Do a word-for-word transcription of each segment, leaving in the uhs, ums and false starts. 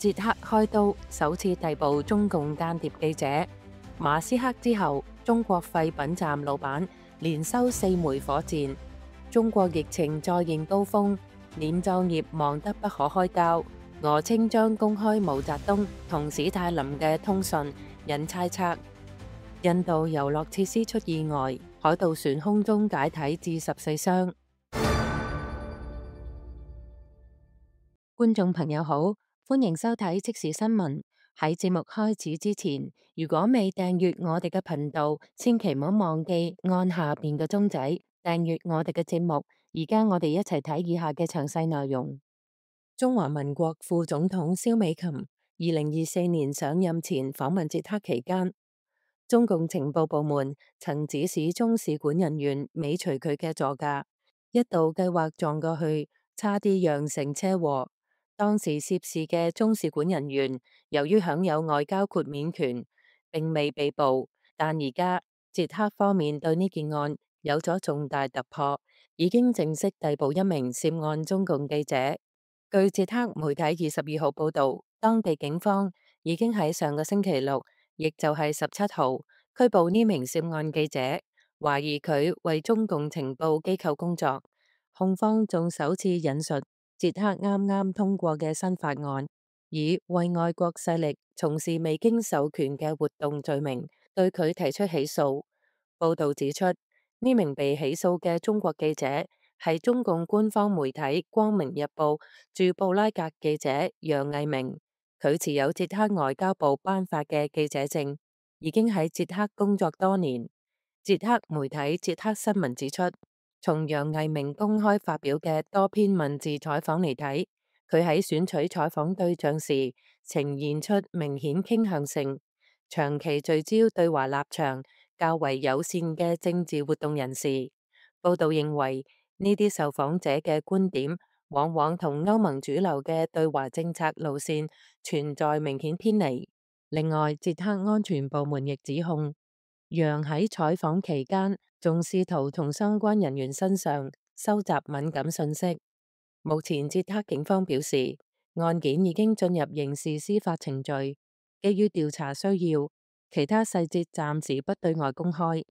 捷克開刀，首次逮捕中共間諜記者。馬斯克之後，中國廢品站老闆連收四枚火箭。中國疫情再現高峰，殮葬業忙得不可開交。俄稱將公開毛澤東同史太林嘅通訊，引猜測。印度遊樂設施出意外，海盜船空中解體致十四傷。觀眾朋友好，歡迎收睇即時新聞。喺節目開始之前，如果未訂閱我哋嘅頻道，千祈唔好忘記按下邊嘅鐘仔訂閱我哋嘅節目。而家我哋一齊睇以下嘅詳細內容。中華民國副總統蕭美琴二零二四年上任前訪問捷克期間，中共情報部門曾指使中使館人員尾隨佢嘅座駕，一度計劃撞過去，差啲釀成車禍。當時涉事嘅中使館人員由於享有外交豁免權，並未被捕，但而家捷克方面對呢件案有咗重大突破，已經正式逮捕一名涉案中共記者。據捷克媒體二十二號報道，當地警方已經喺上個星期六，亦就係十七號拘捕呢名涉案記者，懷疑佢為中共情報機構工作。控方仲首次引述捷克啱啱通過嘅新法案，以為外國勢力從事未經授權嘅活動罪名對佢提出起訴。報道指出，呢名被起訴嘅中國記者係中共官方媒體《光明日報》駐布拉格記者楊毅明，佢持有捷克外交部頒發嘅記者證，已經喺捷克工作多年。捷克媒體捷克新聞指出，從楊毅明公開發表嘅多篇文字採訪嚟睇，佢喺選取採訪對象時呈現出明顯傾向性，長期聚焦對華立場較為友善嘅政治活動人士。報道認為，呢啲受訪者嘅觀點往往同歐盟主流嘅對華政策路線存在明顯偏離。另外，捷克安全部門亦指控楊喺採訪期間仲試圖從相關人員身上收集敏感信息。目前捷克警方表示，案件已經進入刑事司法程序，基於調查需要，其他細節暫時不對外公開。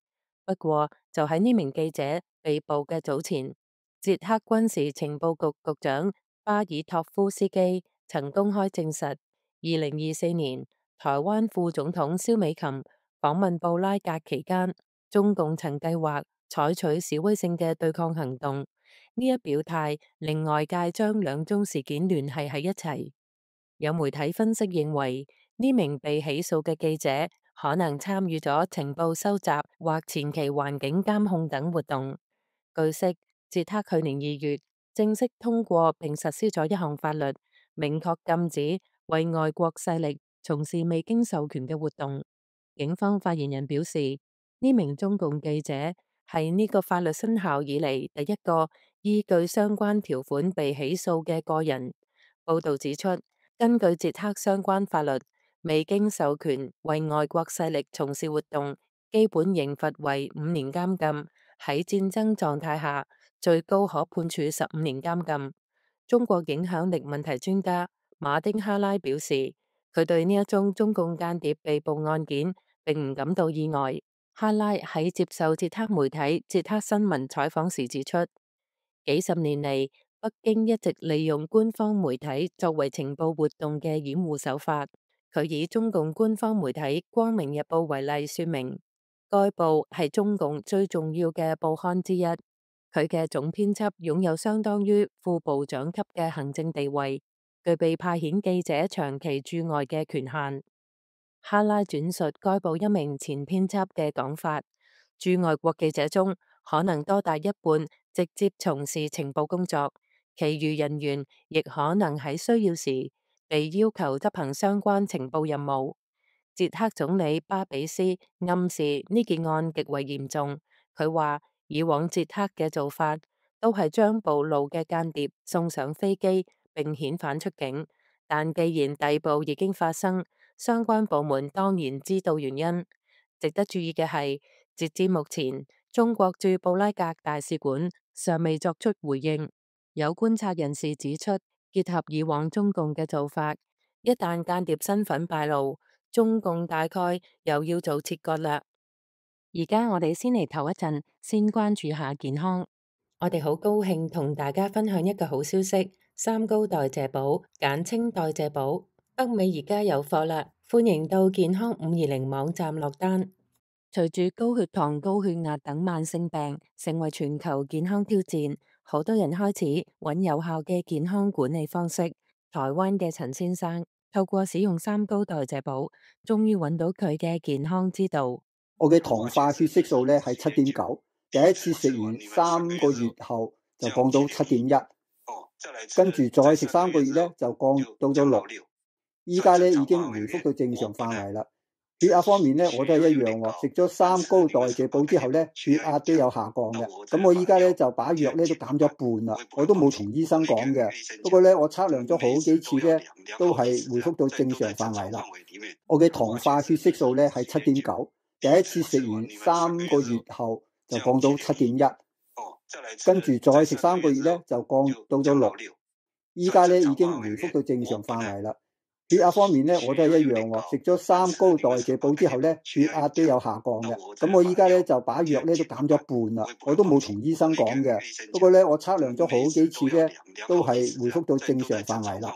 不過，就喺呢名記者被捕嘅早前，捷克軍事情報局局長巴爾托夫斯基曾公開證實，二零二四年台灣副總統蕭美琴訪問布拉格期間，中共曾計劃採取示威性嘅對抗行動。呢一表態令外界將兩宗事件聯繫喺一齊。有媒體分析認為，呢名被起訴嘅記者可能參與咗情報收集或前期環境監控等活動。據悉，捷克去年二月正式通過並實施咗一項法律，明確禁止為外國勢力從事未經授權嘅活動。警方發言人表示，呢名中共記者係呢個法律生效以嚟第一個依據相關條款被起訴嘅個人。報道指出，根據捷克相關法律，未經授權為外國勢力從事活動，基本刑罰為五年監禁，喺戰爭狀態下，最高可判處十五年監禁。中國影響力問題專家馬丁哈拉表示，佢對呢一宗中共間諜被捕案件並唔感到意外。哈拉喺接受捷克媒體捷克新聞採訪時指出，幾十年嚟，北京一直利用官方媒體作為情報活動嘅掩護手法。佢以中共官方媒體《光明日報》為例，說明該報係中共最重要嘅報刊之一。佢嘅總編輯擁有相當於副部長級嘅行政地位，具備派遣記者長期駐外嘅權限。哈拉轉述該報一名前編輯嘅講法，駐外國記者中可能多達一半直接從事情報工作，其餘人員亦可能喺需要時被要求執行相關情報任務。捷克總理巴比斯暗示呢件案極為嚴重。佢話以往捷克嘅做法都係將暴露嘅間諜送上飛機並遣返出境，但既然逮捕已經發生，相關部門當然知道原因。值得注意嘅係，截至目前，中國駐布拉格大使館尚未作出回應。有觀察人士指出，結合以往中共嘅做法，一旦間諜身份敗露，中共大概又要做切割啦。而家我哋先嚟唞一陣，先關注下健康。我哋好高興同大家分享一個好消息，三高代謝寶，簡稱代謝寶，北美而家有貨啦，歡迎到健康五二零網站落單。隨住高血糖、高血壓等慢性病成為全球健康挑戰，好多人開始揾有效嘅健康管理方式。台灣嘅陳先生透過使用三高代謝寶，終於揾到佢嘅健康之道。我嘅糖化血色素咧係七點九，第一次食完三個月後就降到七點一，跟住再食三個月咧就降到咗六，依家咧已經回復到正常範圍啦。血壓方面咧我都係一樣喎，食咗三高代謝寶之後咧血壓都有下降嘅。咁我依家咧就把藥咧都減咗一半啦，我都冇同醫生講嘅。不過咧我測量咗好幾次咧都係回復到正常範圍啦。我嘅糖化血色素咧係七點九。第一次食完三個月後就降到七點一，跟住再食三個月咧就降到咗六，依家咧已經回復到正常範圍啦。血壓方面咧我都係一樣喎，食咗三高代謝寶之後咧血壓都有下降嘅。咁我依家咧就把藥咧都減咗一半啦，我都冇同醫生講嘅。不過咧我測量咗好幾次咧都係回復到正常範圍啦。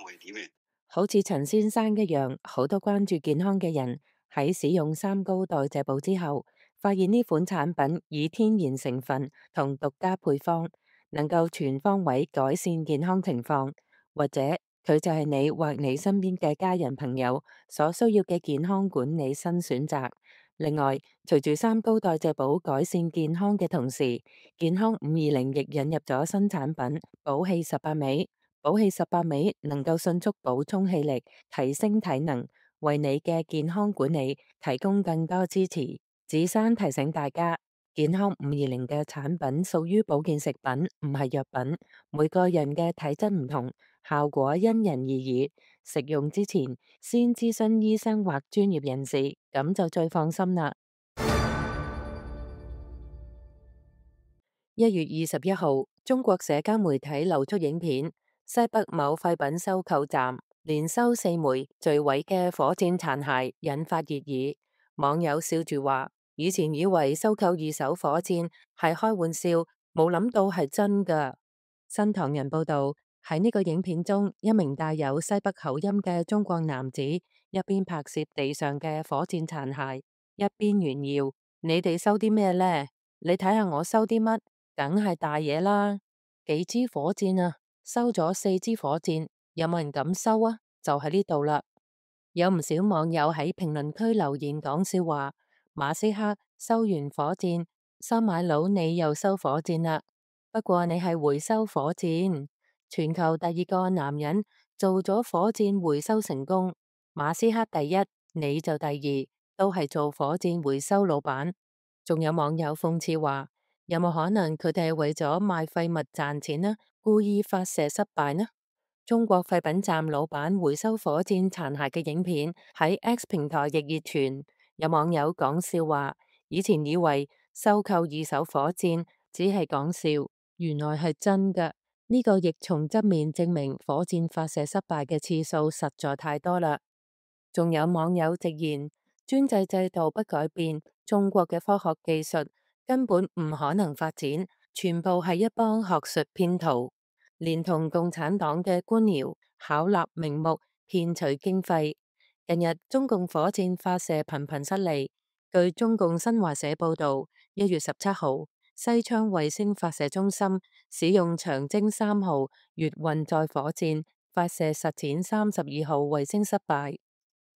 好似陳先生一樣，好多關注健康嘅人喺使用三高代謝寶之後，發現呢款產品以天然成分同獨家配方，能夠全方位改善健康情況，或者佢就係你或你身邊嘅家人朋友所需要嘅健康管理新選擇。另外，隨住三高代謝寶改善健康嘅同時，健康五二零亦引入咗新產品寶氣十八味。寶氣十八味能夠迅速補充氣力，提升體能，為你嘅健康管理提供更多支持。子珊提醒大家，健康五二零嘅產品屬於保健食品，唔係藥品。每個人嘅體質唔同，效果因人而異。食用之前先諮詢醫生或專業人士，咁就最放心啦。一月二十一號，中國社交媒體流出影片，西北某廢品收購站連收四枚墜毀嘅火箭殘骸，引發熱議。網友笑住話：以前以為收購二手火箭係開玩笑，冇諗到係真㗎。新唐人報道，喺呢個影片中，一名帶有西北口音嘅中國男子一邊拍攝地上嘅火箭殘骸，一邊炫耀：你哋收啲咩呢？你睇下我收啲乜？梗係大嘢啦！幾支火箭啊？收咗四支火箭，有冇人敢收啊？就喺呢度啦。有唔少網友喺評論區留言講笑話：馬斯克收完火箭，收買佬你又收火箭啦。不過你係回收火箭，全球第二個男人做咗火箭回收成功，馬斯克第一，你就第二，都係做火箭回收老闆。仲有網友諷刺話：有冇可能佢哋係為咗賣廢物賺錢呢？故意發射失敗呢？中國廢品站老闆回收火箭殘骸嘅影片喺 X 平台亦熱傳，有網友講笑話：以前以為收購二手火箭只係講笑，原來係真㗎。呢個亦從側面證明火箭發射失敗嘅次數實在太多啦。仲有網友直言：專制制度不改變，中國嘅科學技術根本唔可能發展，全部係一幫學術騙徒，連同共產黨嘅官僚巧立名目騙取經費。近日中共火箭發射頻頻失利，據中共新華社報道，一月十七號西昌衛星發射中心使用長征三號月運載火箭發射實踐三十二號衛星失敗。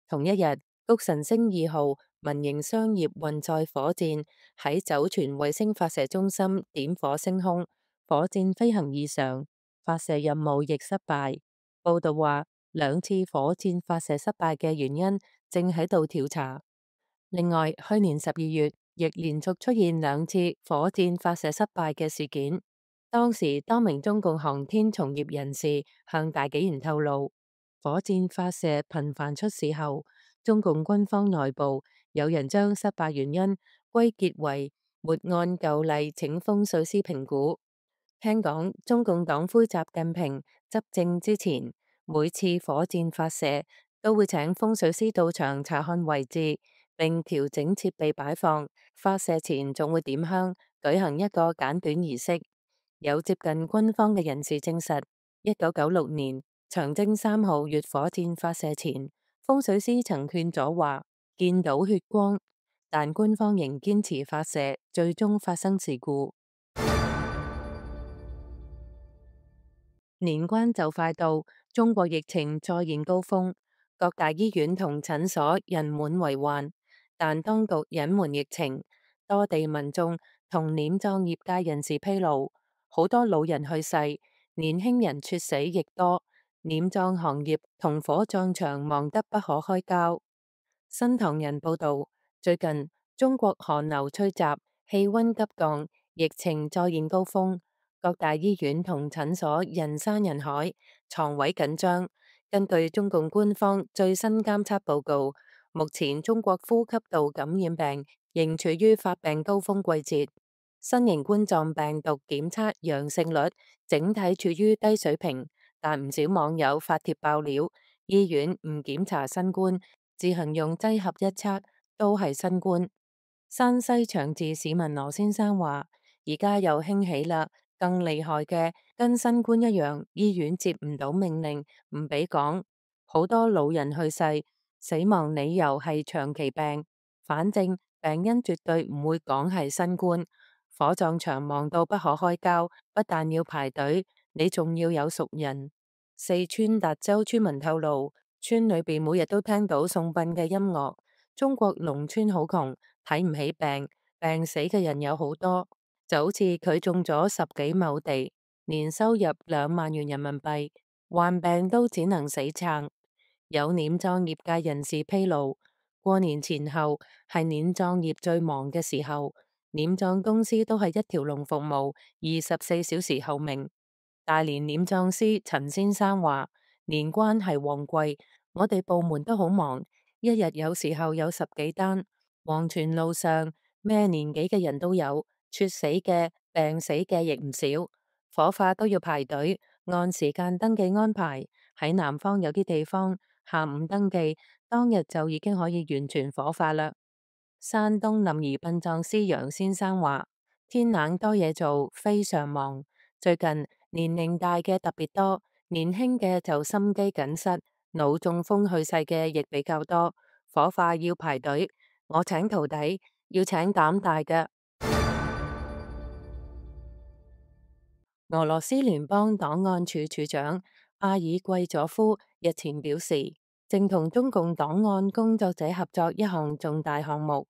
同一日，谷神星二號民營商業運載火箭喺酒泉衛星發射中心點火升空，火箭飛行異常，發射任務亦失敗。報道話，兩次火箭發射失敗嘅原因正喺度調查。另外，去年十二月亦連續出現兩次火箭發射失敗嘅事件。當時，多名中共航天從業人士向大紀元透露，火箭發射頻繁出事後，中共軍方內部有人將失敗原因歸結為沒按舊例請風水師評估。聽講中共黨魁習近平執政之前，每次火箭發射都會請風水師到場查看位置，並調整設備擺放。發射前仲會點香，舉行一個簡短儀式。有接近軍方嘅人士證實，一九九六年長征三號月火箭發射前，風水師曾勸阻話見到血光，但官方仍堅持發射，最終發生事故。年關就快到，中國疫情再現高峰，各大醫院同診所人滿為患，但當局隱瞞疫情，多地民眾同殮葬業界人士披露，好多老人去世，年輕人猝死亦多，殮葬行業同火葬場忙得不可開交。新唐人報道，最近中國寒流吹襲，氣溫急降，疫情再現高峰。各大醫院同診所人山人海，床位緊張。根據中共官方最新監測報告，目前中國呼吸道感染病仍處於發病高峰季節，新型冠狀病毒檢測陽性率整體處於低水平，但唔少網友發帖爆料，醫院唔檢查新冠，自行用劑盒一測都係新冠。山西長治市民羅先生話：而家又興起啦。更厲害嘅，跟新冠一樣，醫院接唔到命令，唔俾講。好多老人去世，死亡理由係長期病，反正病因絕對唔會講係新冠。火葬場忙到不可開交，不但要排隊，你仲要有熟人。四川達州村民透露，村裏邊每日都聽到送殯嘅音樂。中國農村好窮，睇唔起病，病死嘅人有好多。就好似佢種咗十幾畝地，年收入兩萬元人民幣，患病都只能死撐。有殮葬業界人士披露，過年前後係殮葬業最忙嘅時候，殮葬公司都係一條龍服務，二十四小時候命。大連殮葬師陳先生話：年關係旺季，我哋部門都好忙，一日有時候有十幾單。黃泉路上咩年紀嘅人都有。猝死嘅、病死嘅亦唔少，火化都要排隊，按時間登記安排。喺南方有啲地方，下午登記，當日就已經可以完全火化啦。山東臨沂殯葬師楊先生話：天冷多嘢做，非常忙。最近年齡大嘅特別多，年輕嘅就心肌梗塞、腦中風去世嘅亦比較多。火化要排隊，我請徒弟，要請膽大嘅。俄羅斯聯邦檔案處處長阿爾季佐夫日前表示，正同中共檔案工作者合作一項重大項目。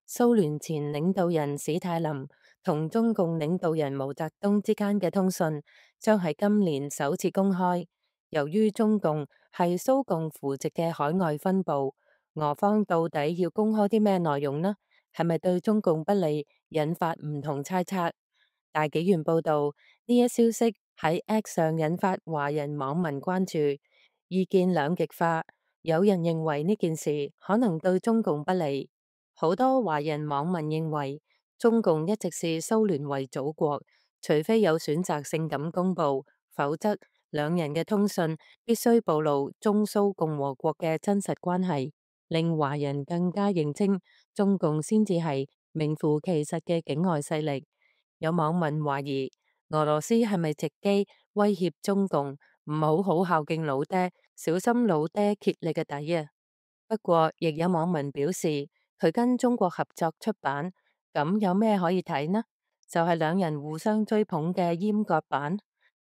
蘇聯前領導人史太林同中共領導人毛澤東之間嘅通訊將喺今年首次公開。由於中共係蘇共扶植嘅海外分部，俄方到底要公開啲咩內容呢？係咪對中共不利，引發唔同猜測？大紀元報道，呢一消息喺 X 上引發華人網民關注，意見兩極化。有人認為呢件事可能對中共不利，好多華人網民認為中共一直視蘇聯為祖國，除非有選擇性咁公佈，否則兩人嘅通訊必須暴露中蘇共和國嘅真實關係，令華人更加認清中共先至係名副其實嘅境外勢力。有網民懷疑俄羅斯係咪藉機威脅中共唔好好孝敬老爹，小心老爹揭你嘅底啊？不過亦有網民表示，佢跟中國合作出版，咁有咩可以睇呢？就係兩人互相追捧嘅閹割版。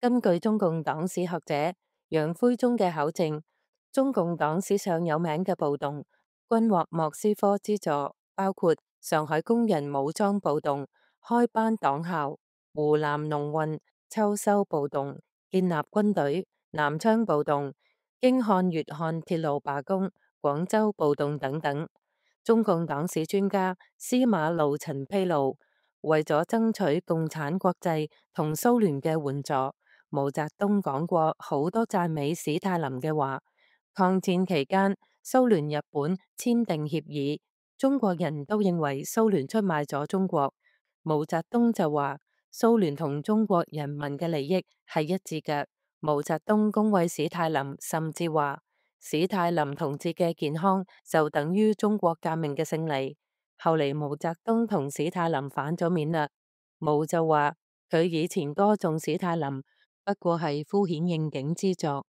根據中共黨史學者楊奎忠嘅考證，中共黨史上有名嘅暴動，均獲莫斯科資助，包括上海工人武裝暴動、開班黨校、湖南農運、秋收暴動、建立軍隊、南昌暴動、京漢粵漢鐵路罷工、廣州暴動等等。中共黨史專家司馬路陳披露，為咗爭取共產國際同蘇聯嘅援助，毛澤東講過好多讚美史太林嘅話。抗戰期間，蘇聯日本簽訂協議，中國人都認為蘇聯出賣咗中國。毛澤東就話蘇聯同中國人民嘅利益係一致嘅。毛澤東恭維史太林，甚至話史泰林同志嘅健康就等於中國革命嘅勝利。後嚟毛澤東同史泰林反咗面啦，毛就話佢以前歌頌史泰林不過係敷衍應景之作。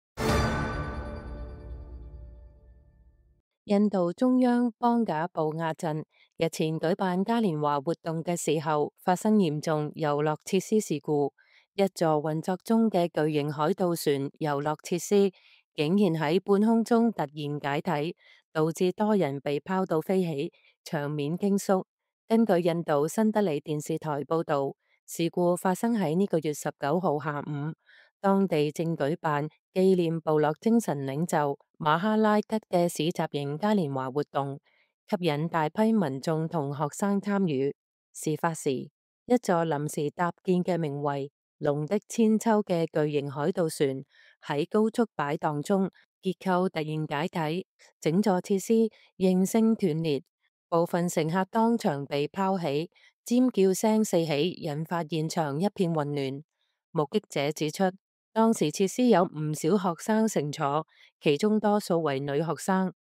印度中央邦賈布亞鎮日前舉辦嘉年華活動嘅時候，發生嚴重遊樂設施事故。一座運作中嘅巨型海盜船遊樂設施，竟然喺半空中突然解體，導致多人被拋到飛起，場面驚肅。根據印度新德里電視台報道，事故發生喺呢個月十九號下午。當地正舉辦紀念部落精神領袖馬哈拉吉嘅市集型嘉年華活動，吸引大批民眾同學生參與。事發時，一座臨時搭建嘅名為龍的千秋嘅巨型海盜船喺高速擺盪中，結構突然解體，整座設施應聲斷裂，部分乘客當場被拋起，尖叫聲四起，引發現場一片混亂。目擊者指出，當時設施有唔少學生乘坐，其中多數為女學生。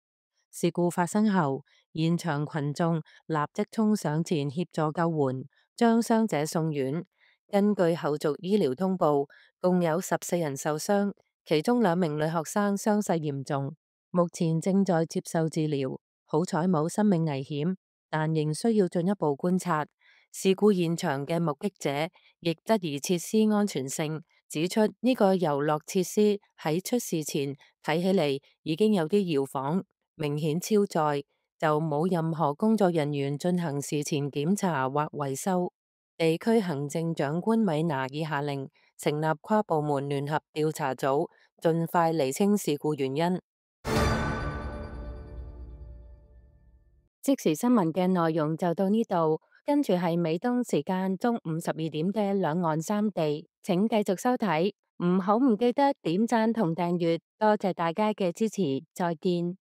事故發生後，現場群眾立即衝上前協助救援，將傷者送院。根據後續醫療通報，共有十四人受傷，其中兩名女學生傷勢嚴重，目前正在接受治療。好彩冇生命危險，但仍需要進一步觀察。事故現場嘅目擊者亦質疑設施安全性，指出呢個遊樂設施喺出事前睇起嚟已經有啲搖晃，明顯超載，就冇任何工作人員進行事前檢查或維修。地區行政長官米拿爾下令成立跨部門聯合調查組，盡快釐清事故原因。即時新聞嘅內容就到呢度，跟住係美東時間中午十二點嘅兩岸三地，請繼續收睇，唔好唔記得點讚同訂閱，多謝大家嘅支持，再見。